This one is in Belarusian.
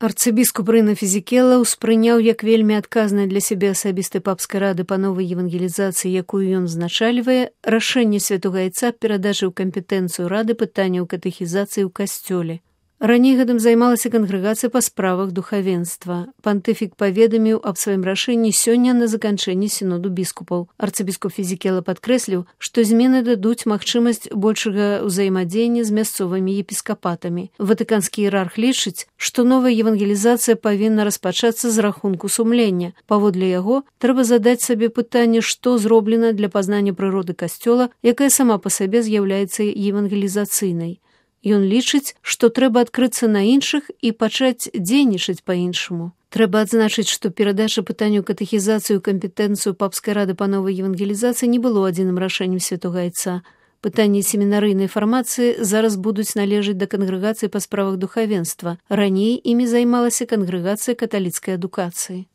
Арцыбіскуп Рына Фізікела ўспрыняў як вельмі адказнае для сябе асабістай папскай рады па новай евангелізацыі, якую ён узначальвае, рашэнне святога айца перадачы ў кампетэнцыю рады пытанняў катэхізацыі ў касцёле. Раней гэтым займалася кангрэгацыя па справах духавенства. Пантыфік паведаміў аб сваім рашэнні сёння на заканчэнні сіноду біскупаў. Арцыбіскуп Фізікела падкрэсліў, што змены дадуць магчымасць большага ўзаемадзеяння з мясцовымі епіскапатамі. Ватыканскі іерарх лічыць, што новая евангелізацыя павінна распачацца з рахунку сумлення. Паводле яго, трэба задаць сабе пытанне, што зроблена для пазнання прыроды касцёла, якая сама па сабе з'яўляецца евангелізацыйнай. Ён лічыць, што трэба адкрыцца на іншых і пачаць дзейнічаць па-іншаму. Трэба адзначыць, што перадача пытанняў катэхізацыі ў кампетэнцыю папскай рады па новай евангелізацыі не было адзіным рашэннем святога айца. Пытанні семінарыйнай фармацыі зараз будуць належаць да кангрэгацыі па справах духавенства. Раней імі займалася кангрэгацыя каталіцкай адукацыі.